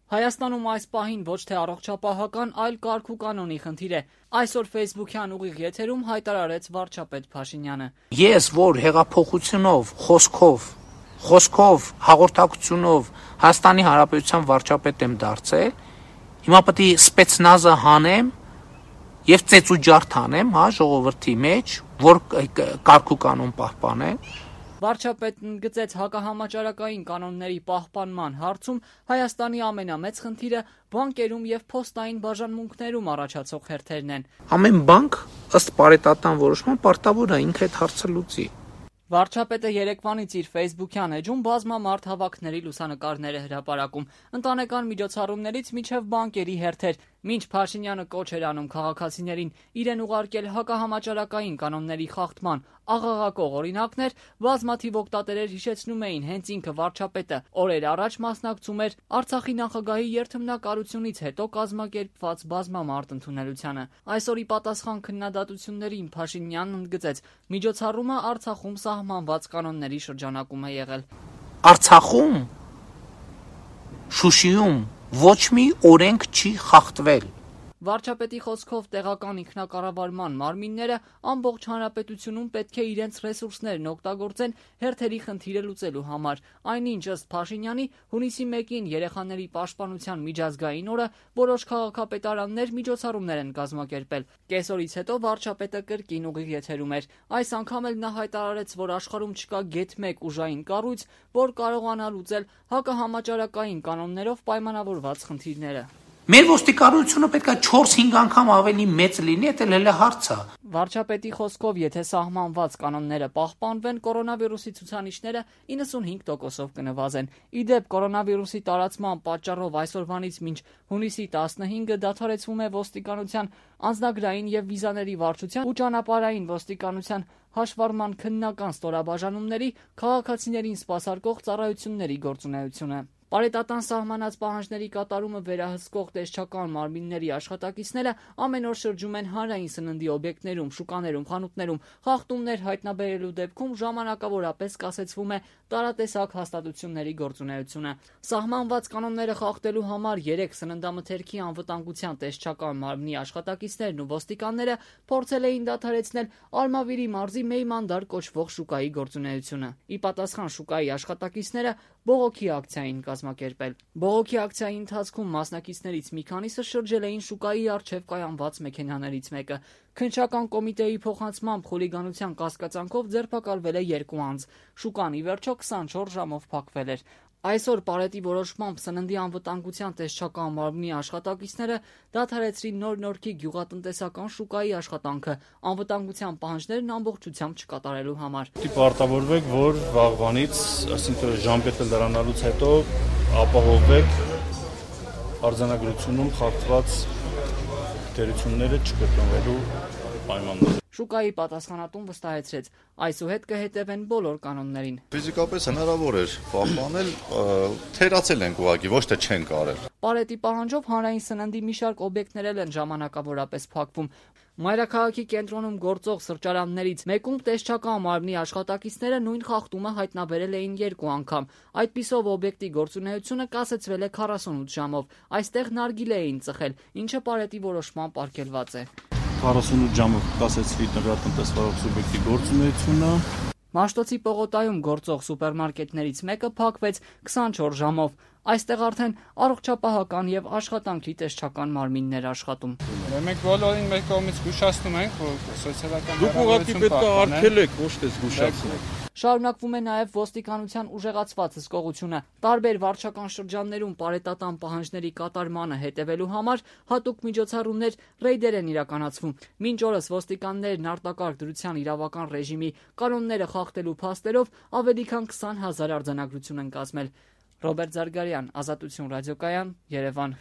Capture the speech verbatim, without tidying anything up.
Հայաստանում այս պահին ոչ թե առողջապահական, այլ կարգ ու կանոնի խնդիր է։ Այսօր Facebook-յան ուղիղ եթերում հայտարարեց վարչապետ Փաշինյանը։ Ես, որ հեղափոխությունով, խոսքով, խոսքով, հաղորդակցությունով Հայաստանի Հանրապետության վարչապետ եմ դարձել, հիմա պետք է սպեցնազը հանեմ եւ ծեծուջարդ անեմ, հա, ժողովրդի մեջ, որ կարգ ու կանոն պահպանեն։ Վարչապետն ընդգծեց հակահամաճարակային կանոնների պահպանման հարցում Հայաստանի ամենամեծ խնդիրը բանկերում եւ փոստային բաժանմունքներում առաջացող հերթերն են։ Ամեն բանկ ըստ պարետատան որոշման պարտավոր է ինքը այդ հարցը լուծի։ Վարչապետը երեկվանից իր Facebook-յան էջում բազմամարդ հավաքների լուսանկարներ է հրապարակում, ընտանեկան միջոցառումներից մինչև բանկերի հերթեր, մինչ Փաշինյանը կոչ էր անում քաղաքացիներին իրեն ուղարկել հակահամաճարակային կանոնների խախտման աղաղակող օրինակներ, բազմաթիվ օգտատերեր հիշեցնում էին հենց ինքը վարչապետը օրեր առաջ մասնակցում էր Արցախի նախագահի երթմնակարությունից հետո կազմակերպված բազմամարդ ընդունելությանը։ Այսօրի պատասխան քննադատություններին Փաշինյանն ընդգծեց, միջոցառումը Արցախում սահմանված կանոնների շրջանակում է եղել։ Արցախում, Շուշիում ոչ մի օրենք չի խախտվել։ Վարչապետի խոսքով տեղական ինքնակառավարման մարմինները ամբողջ հանրապետությունում պետք է իրենց ռեսուրսներն օգտագործեն հերթերի խնդիրը լուծելու համար։ Այնինչ ըստ Փաշինյանի հունիսի մեկին երեխաների պաշտպանության միջազգային օրը որոշ քաղաքապետարաններ միջոցառումներ են կազմակերպել։ Կեսօրից հետո վարչապետը կրկին ուղիղ եթերում էր։ Այս անգամ էլ նա հայտարարեց, որ աշխարհում չկա գեթ մեկ ուժային կառույց, որ կարողանա լուծել հակահամաճարակային կանոններով պայմանավորված խնդիրները։ Մեր ոստիկանությունը պետք է չորս-հինգ անգամ ավելի մեծ լինի, դա էլ է հարցը։ Վարչապետի խոսքով, եթե սահմանված կանոնները պահպանվեն, կորոնավիրուսի ցուցանիշները իննսունհինգ տոկոսով կնվազեն։ Ի դեպ, կորոնավիրուսի տարածման պատճառով այսօրվանից մինչ հունիսի տասնհինգը դադարեցվում է ոստիկանության անձնագրային եւ վիզաների վարչության ու ճանապարհային ոստիկանության հաշվառման քննական ստորաբաժանումների քաղաքացիներին սպասարկող ծառայությունների գործունեությունը։ Պարետատան սահմանած պահանջների կատարումը վերահսկող տեսչական մարմինների աշխատակիցները ամեն օր շրջում են հանրային սննդի օբյեկտներում, շուկաներում, խանութներում, խախտումներ հայտնաբերելու դեպքում ժամանակավորապես կասեցվում է տարատեսակ հաստատությունների գործունեությունը։ Սահմանված կանոնները խախտելու համար երեք սննդամթերքի անվտանգության տեսչական մարմնի աշխատակիցներն ու ոստիկանները փորձել էին դադարեցնել Արմավիրի մարզի Մեյմանդար կոչվող շուկայի գործունեությունը։ Ի պատասխան շուկայի աշխատակիցները բողոքի ակցիա էին կազմակերպել։ Բողոքի ակցիայի ընթացքում մասնակիցներից մի քանիսը շրջել էին շուկայի առջև կայանված մեքենաներից մեկը։ Քննչական կոմիտեի փոխանցմամբ խուլիգանության կասկածանքով ձերբակալվել է երկու անձ։ Շուկան ի վերջո քսանչորս ժամով փակվել էր։ Այսօր Պարետի որոշմամբ սննդի անվտանգության տեսչական մարմնի աշխատակիցները դադարեցրին Նոր Նորքի գյուղատնտեսական շուկայի աշխատանքը անվտանգության պահանջներն ամբողջությամբ չկատարելու համար։ Պարտավորվեք, որ վաղվանից, այսինքն ժամկետը լրանալուց հետո ապահովեք արձանագրությունում խախտված դերությունները չկրկնվելու պայմանները։ Շուկայի պատասխանատուն վստահեցրեց, այսուհետ կհետևեն բոլոր կանոններին։ Ֆիզիկապես հնարավոր էր պահպանել, թերացել ենք ուղղակի, ոչ թե չենք արել։ Պարետի պահանջով հանրային սննդի մի շարք օբյեկտներ են ժամանակավորապես փակվում։ Մայրաքաղաքի կենտրոնում գործող սրճարաններից մեկում տեսչական մարմնի աշխատակիցները նույն խախտումը հայտնաբերել էին երկու անգամ։ Այդպիսով օբյեկտի գործունեությունը կասեցվել է քառասունութ ժամով։ Այստեղ նարգիլե էին ծխել, ինչը Պարետի որոշմամբ արգելված է։ քառասունութ ժամով կասեցվի տնտեսվարող սուբյեկտի գործունեությունը։ Մաշտոցի պողոտայում գործող սուպերմարկետներից մեկը փակվեց քսանչորս ժամով։ Այստեղ արդեն առողջապահական եւ աշխատանքի տեսչական մարմիններ աշխատում։ Մենք բոլորին մեր կողմից զգուշացնում ենք, որ սոցիալական Դուք ուղղակի պետք է արգելեք, ոչ թե զգուշացնեք։ Շարունակվում է նաև ոստիկանության ուժեղացված հսկողությունը։ Տարբեր վարչական շրջաններում պարետատան պահանջների կատարմանը հետևելու համար հատուկ միջոցառումներ, ռեյդեր են իրականացվում։ Մինչ օրս ոստիկաններն արտակարգ դրության իրավական ռեժիմի կանոնները խախտելու փաստերով ավելի քան քսան հազար արձանագրություն են կազմել։ Ռոբերտ Զարգարյան, Ազատություն ռադիոկայան, Երևան։